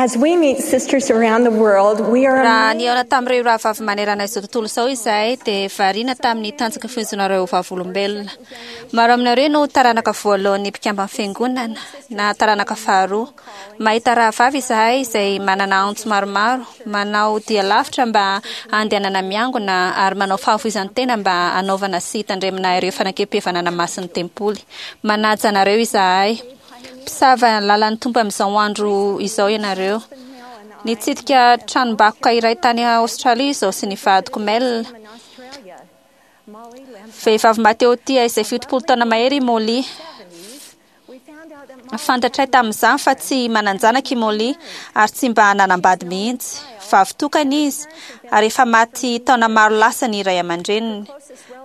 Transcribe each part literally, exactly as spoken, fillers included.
As we meet sisters around the world, we are Raha nihaona tamin'ireo rahavavy manerana izao tontolo izao izahay, dia variana tamin'ny tanjaka fihonjonareo vavolombelona. Maro aminareo no taranaka voalohan'ny mpikamban'ny fiangonana na taranaka faharoa. Mahita rahavavy izahay izay manana antso maromaro, manao dia lavitra mba handehanana miangona ary manao fahafoizan-tena mba hanaovana sy hitandremana ireo fanekempihavanana masin'ny tempoly. Manaja anareo izahay. Mpisava lalan'ny Tompo amin'izao andro izao ianareo. Nitsidika tranombakoka iray tany Aostralia izao sy ny vadiko Mel. Vehivavy mahatehotia izay fitopolo taona mahery i Molly. Fantatray tamin'izany fa tsy manan-janaka i Molly ary tsy mba nanambady mihitsy. Vavy tokana izy ary efa maty taona maro lasa ny ray aman-dreniny.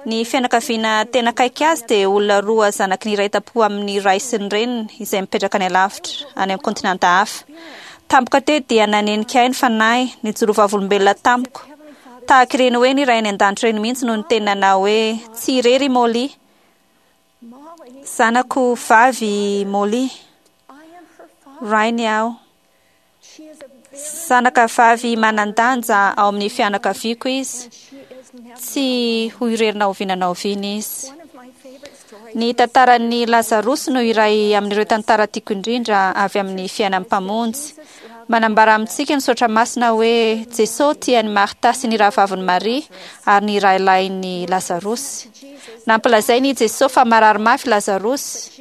Ny fianakaviana tena akaiky azy dia olona roa zanaky ny iray tampo amin'ny ray sy ny reniny izay mipetraka any alavitra, any amin'ny kontinanta hafa. Tampoka teo dia nanenika ahy ny fanahy, nijoro vavolombelona tamiko. Tahaka ireny hoe ny ray any an-danitra ireny mihitsy no niteny nanao hoe tsy irery i Molly. Zanako vavy Molly. Rainy aho. Zanaka vavy manan-danja ao amin'ny fianakaviako izy. Tsy ho irery na oviana na oviana izy. Ny tantaran'ny Lazarosy no iray amin'ireo tantara tiako indrindra avy amin'ny fiainan'ny Mpamonjy. Manambara amintsika ny Soratra Masina hoe Jesosy tia an'i Marta sy ny rahavavin'i Maria ary ny rahalahin'i Lazarosy. Nampilazainy i Jesosy fa marary mafy Lazarosy,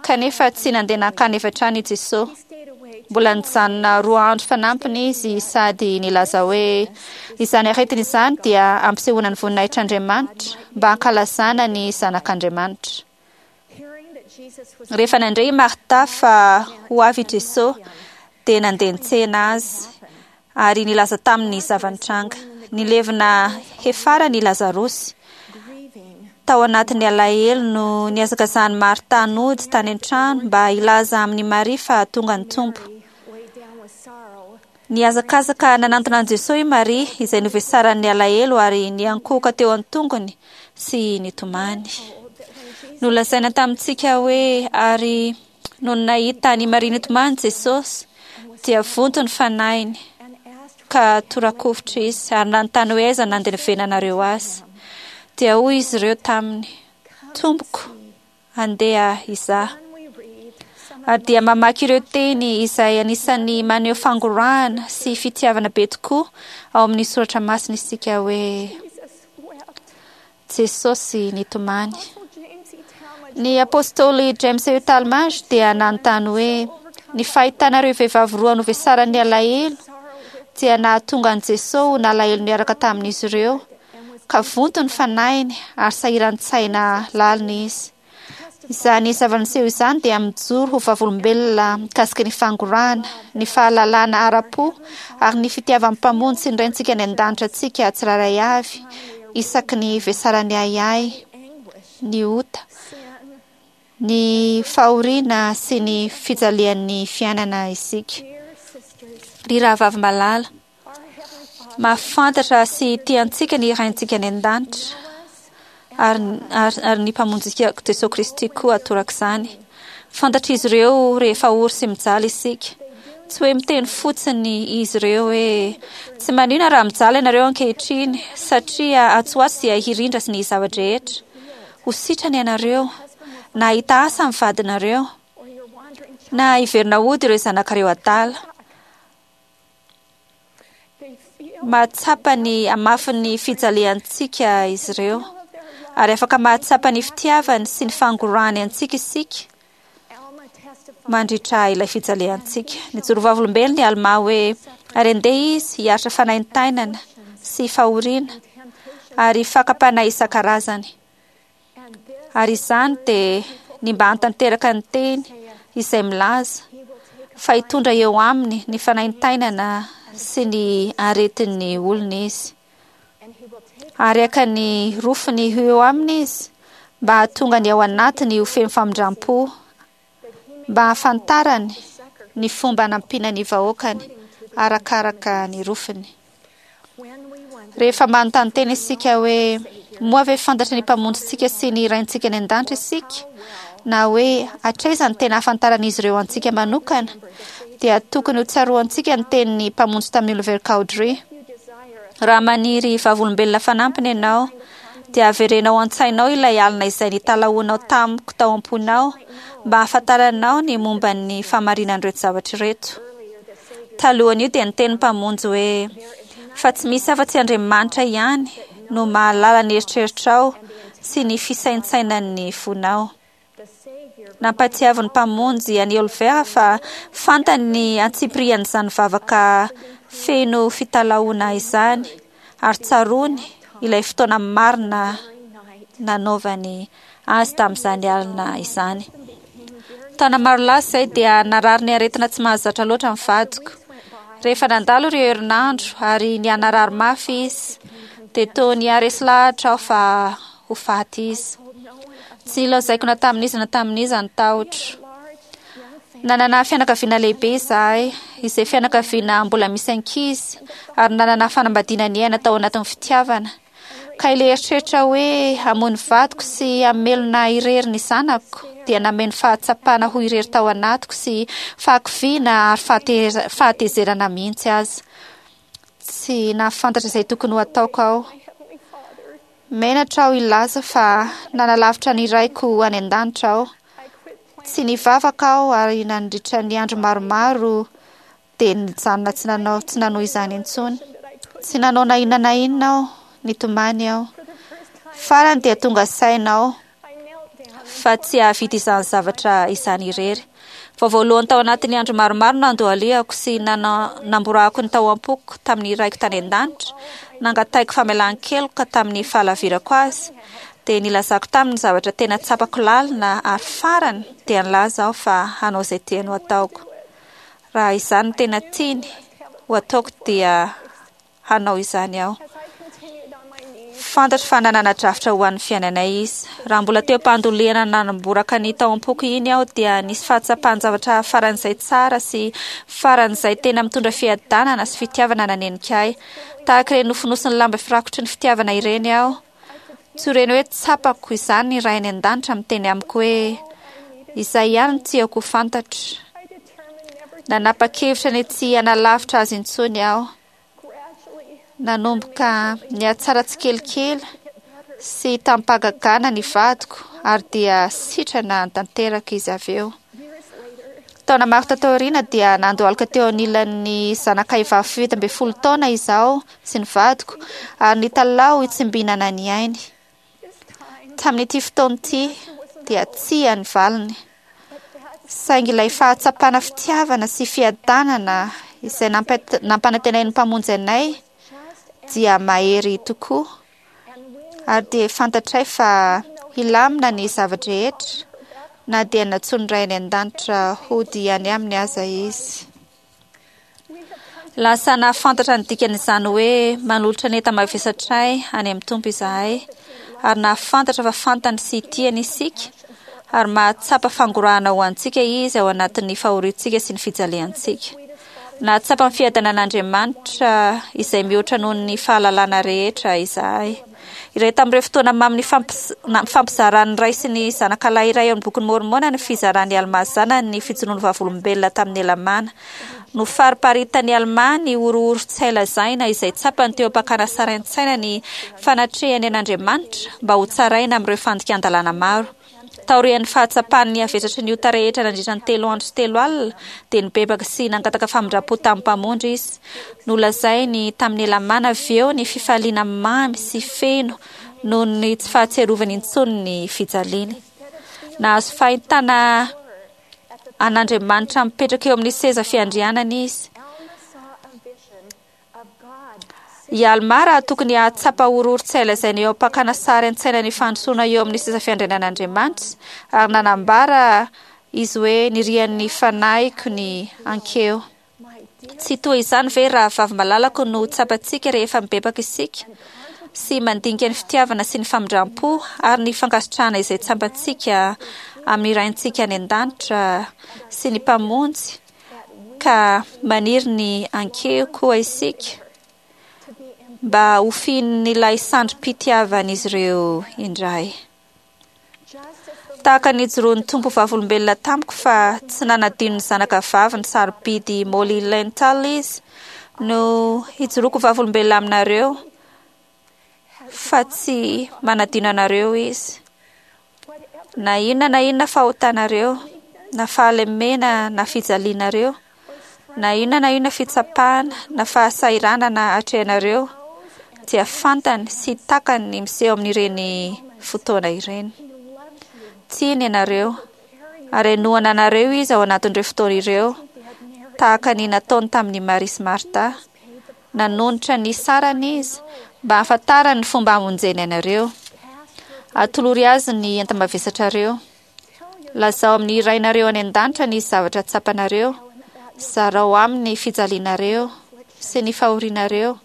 kanefa tsy nandeha nankany avy hatrany i Jesosy. Mbola nijanona roa andro fanampiny izy sady nilaza hoe izany aretina izany dia ampisehoana ny voninahitr'Andriamanitra mba hankalazana ny zanak'Andriamanitra. Rehefa nandre i Marta fa ho avy i Jesosy, dia nandeha nitsena azy ary nilaza taminy ny zava-nitranga. Nilevina hefarany i Lazarosy. Tao anatin'ny alahelo no nihazakazahan'i Marta nody tany an-trano mba hilaza amin'i Maria fa tonga ny Tompo. Nihazakazaka nanantona an'i Jesosy i Maria izay novesaran'ny alahelo ary niankohoka teo an-tongony sy nitomany. Nolazaina tamintsika hoe ary nony nahita an'i Maria nitomany Jesosy dia vonto ny fanahiny ka torakovitra izy ary nanontany hoe aiza nandevenanareo azy. Dia hoy izy ireo taminy, Tompoko, andeha izaho. Ary dia mamaky ireo teny izay anisan'ny maneho fangorahana sy fitiavana be tokoa ao amin'ny Soratra Masina isika hoe Jesosy nitomany. Ny apostoly James E. Talmage dia nanontany hoe ny fahitanareo vehivavy roa novesaran'ny alahelo dia nahatonga an'i Jesosy ho nalahelo niaraka tamin'izy ireo ka vonto ny fanahiny ary sahiran-tsaina lalina izy. Izany zava-niseho izany dia mijoro ho vavolombelona mikasika ny fangorahana, ny fahalalana ara-po ary ny fitiavan'ny Mpamonjy sy ny Raintsika any an-danitra antsika tsirairay avy isaky ny vesaran'ny ahiahy, ny ota, ny fahoriana sy ny fijalian'ny fiainana isika. Ry rahavavy malala, mahafantatra sy tia antsika ny Raintsika any an-danitra ary, ary, ary ny Mpamonjitsika Jesosy Kristy koa torak'izany. Fantatr'izy ireo rehefa ory sy mijaly isika. Tsy hoe miteny fotsiny izy ireo hoe tsy maninona raha mijaly ianareo ankehitriny satria atsy ho atsy dia hirindra sy ny zava-drehetra. Ho sitrana ianareo, na hahita asa ny vadinareo, na hiverina hody ireo zanakareo adala. Mahatsapa ny hamafin'ny fijaliantsika izy ireo ary afaka mahatsapa ny fitiavany sy ny fangorahany antsika isika mandritra ilay fijaliantsika. Nijoro vavolombelona i Alma hoe ary andeha izy hiaritra fanaintainana sy fahoriana ary fakam-panahy isan-karazany. Ary izany dia ny mba hahatanteraka ny teny izay milaza fa hitondra eo aminy ny fanaintainana sy ny aretin'ny olona izy. Ary haka ny rofiny ho eo aminy izy mba hahatonga ny ao anatiny ho feno famindram-po, mba hahafantarany ny fomba hanampiana ny vahoakany arakaraka ny rofiny. Rehefa manontany tena isika hoe moa ve fantatry ny Mpamonjintsika sy ny Raintsika any an-danitra isika, na hoe hatraiza ny tena ahafantaran'izy ireo antsika manokana, dia tokony ho tsaroantsika ny tenin'ny Mpamonjy tamin'i Oliver Cowdery. Raha maniry vavolombelona fanampiny ianao, dia averenao an-tsainao ilay alina izay nitalahoanao tamiko tao am-ponao mba hahafantaranao ny momba ny fahamarinan'ireto zavatra ireto. Talohan'io dia niteny Mpamonjy hoe fa tsy misy afa-tsy Andriamanitra ihany no mahalala ny eritreritrao sy ny fisaintsainan'ny fonao. Nampahatsiavin'ny Mpamonjy an'i Oliver fa fantany ny antsipirian'izany vavaka feno fitalahoana izany ary tsaroany ilay fotoana marina nanaovany azy tamin'izany alina izany. Taona maro lasa izay dia narary ny aretina tsy mahazatra loatra ny vadiko. Rehefa nandalo ireo herinandro ary nihanarary mafy izy, dia toa niharesy lahatra aho fa ho faty izy. Tsy nilazaiko na tamin'iza na tamin'iza ny tahotro. Nanana fianakaviana lehibe izahay, izay fianakaviana mbola misy ankizy, ary nanana fanambadiana niaina tao anatin'ny fitiavana. Ka ilay eritreritra hoe hamono vadiko sy hamelona irery ny zanako dia nameno fahatsapana ho irery tao anatiko sy fahakiviana ary fahateza- fahatezerana mihitsy aza. Tsy nahafantatra izay tokony ho ataoko aho. Menatra aho hilaza fa nanalavitra ny raiko any an-danitra aho. Tsy nivavaka aho ary nandritra ny andro maromaro dia nijanona tsy nanao tsy nanohy izany intsony. Tsy nanao na inona na inona aho, nitomany aho. Farany dia tonga saina aho fa tsy hahavita izany zavatra izany irery. Vao voalohany tao anatin'ny andro maromaro nandohalehako sy nana- namborahako ny tao am-poko tamin'ny raiko tany an-danitra, nangatahiko famelan-keloka tamin'ny fahalavirako azy, dia nilazako taminy ny zavatra tena tsapako lalina ary farany dia nilaza aho fa hanao izay tiany ho ataoko. Raha izany no tena tiany ho ataoko dia hanao izany aho. Fantatro fa nanana drafitra ho an'ny fiainanay izy. Raha mbola teo am-pandolehana nanamboraka ny tao am-poko iny aho dia nisy fahatsapan-javatra faran'izay tsara sy faran'izay tena mitondra fiadanana sy fitiavana nanenika ahy. Tahaka ireny nofonosin'ny lamba firakotry ny fitiavana ireny aho. Tsy ireny hoe tsapako izany ny Ray any an-danitra miteny amiko hoe izay ihany no tiako ho fantatra. Nanapa-kevitra ny tsy hanalavitra azy intsony aho. Nanomboka nihatsara tsikelikely sy tamim-pahagagana ny vadiko ary dia sitrana tanteraka izy avy eo. Taona maro tato aoriana dia nandohalika teo anilan'ny zanakay vavy fito ambin'ny folo taona izaho sy ny vadiko ary nitalaho hitsimbinana ny ainy. Tamin'ity fotoana ity dia tsia ny valiny. Saingy ilay fahatsapana fitiavana sy fiadanana izay nampa- nampanantenain'ny Mpamonjy anay dia mahery tokoa ary dia fantatray fa hilamina ny zava-drehetra na dia nantsoin'ny Ray any an-danitra hody any aminy aza izy. Lasa nahafantatra ny dikan'izany hoe manolotra ny enta-mavesatray any amin'ny Tompo izahay ary nahafantatra fa fantany sy tiany isika ary mahatsapa fangorahana ho antsika izy ao anatin'ny fahoriantsika sy ny fijaliantsika. Nahatsapa ny fiadanan'Andriamanitra izay mihoatra noho ny fahalalana rehetra izahay. Iray tamin'ireo fotoana mamy nifampis- na- nifampizaran'ny ray sy ny zanakalahy iray ao amin'ny bokin'i Môrmôna ny fizaran'i Almà zanany ny fijoroan'ny vavolombelona tamin'ny Helamàna. Nofariparitan'i Almà ny horohoro tsy hay lazaina izay tsapany teo am-pakana sary an-tsaina ny fanatrehany an'Andriamanitra mba ho tsaraina amin'ireo fandikan-dalàna maro. Taorian'ny fahatsapany ny havesatry ny ota rehetra nandritra ny telo andro sy telo alina, dia nibebaka sy nangataka famindram-po tamin'ny Mpamonjy izy. Nolazainy tamin'ny Helamàna avy eo ny fifaliana mamy sy feno noho ny tsy fahatsiarovany intsony ny fijaliany. Nahazo fahitana an'Andriamanitra mipetraka eo amin'ny seza fiandrianana izy. I Almà raha tokony hahatsapa horohoro tsy hay lazaina eo am-pakana sary an-tsaina ny fandrosoana eo amin'ny seza fiandrianan'Andriamanitra ary nanambara izy hoe nirian'ny fanahiko ny hankeo. Tsy toa izany ve raha vavy malalako no tsapantsika rehefa mibebaka isika sy mandinika ny fitiavana sy ny famindram-po ary ny fankasitrahana izay tsapantsika amin'ny Raintsika any an-danitra sy ny Mpamonjy ka maniry ny hankeo koa isika mba ho fihinin'ilay sandrim-pitiavan'izy ireo indray. Tahaka ny nijoroan'ny Tompo vavolombelona tamiko fa tsy nanadino ny zanaka vaviny sarobidy Molly Lental izy no hijoroako vavolombelona aminareo fa tsy manadino anareo izy. Na inona na inona fahotanareo, na fahalemena na fijalianareo, na inona na inona fitsapana na fahasahiranana atrehanareo, dia fantany sy takany ny miseho amin'ireny fotoana ireny. Tiany ianareo ary hanohana anareo izy ao anatin'ireo fotoana ireo, tahaka ny nataony tamin'i Maria sy Marta. Nanonitra ny sarany izy mba hahafantarany ny fomba hamonjeny anareo. Atolory azy ny enta-mavesatrareo. Lazao amin'ny Rainareo any an-danitra ny zavatra tsapanareo. Zarao aminy ny fijalianareo sy ny fahorianareo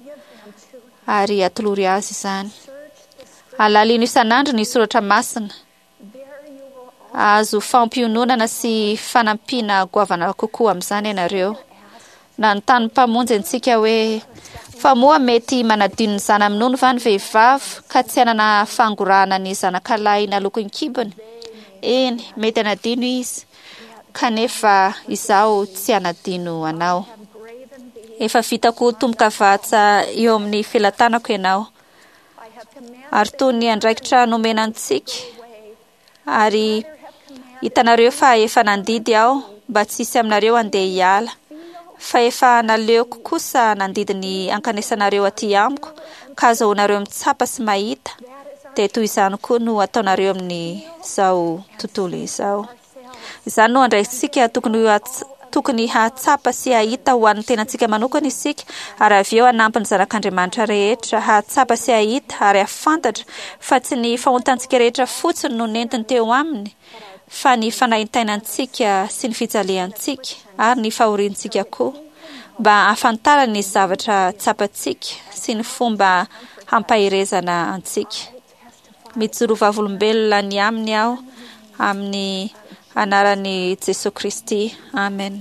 ary atolory azy izany. Alalino isan'andro ny soratra masina. Azo fampiononana sy fanampiana goavana kokoa amin'izany ianareo. Nanontany Mpamonjy antsika hoe fa moa mety manadino ny zana-minono va ny vehivavy ka tsy hanana fangorahana ny zanakalahy naloaky ny kibony? Eny, mety hanadino izy, kanefa izaho tsy hanadino anao. Efa vitako tombokavatsa eo amin'ny felatanako ianao. Ary toy ny andraikitra nomena antsika, ary hitanareo fa efa nandidy aho mba tsy hisy aminareo handeha hiala, fa efa naleoko kosa nandidy ny hankanesanareo aty amiko ka azahoanareo mitsapa sy mahita, dia toy izany koa no ataonareo amin'izao tontolo izao. Izany no andraikitsika tokony tokony hahatsapa sy hahita ho an'ny tenantsika manokana isika, ary avy eo hanampy ny zanak'Andriamanitra rehetra hahatsapa sy hahita ary hahafantatra fa tsy ny fahotantsika rehetra fotsiny no nentiny teo aminy, fa ny fanaintainantsika sy ny fijaliantsika ary ny fahoriantsika koa, mba hahafantarany ny zavatra tsapantsika sy ny fomba hampaherezana antsika. Mijoro vavolombelona ny aminy aho amin'ny anaran'i Jesoa Kristy. Amen.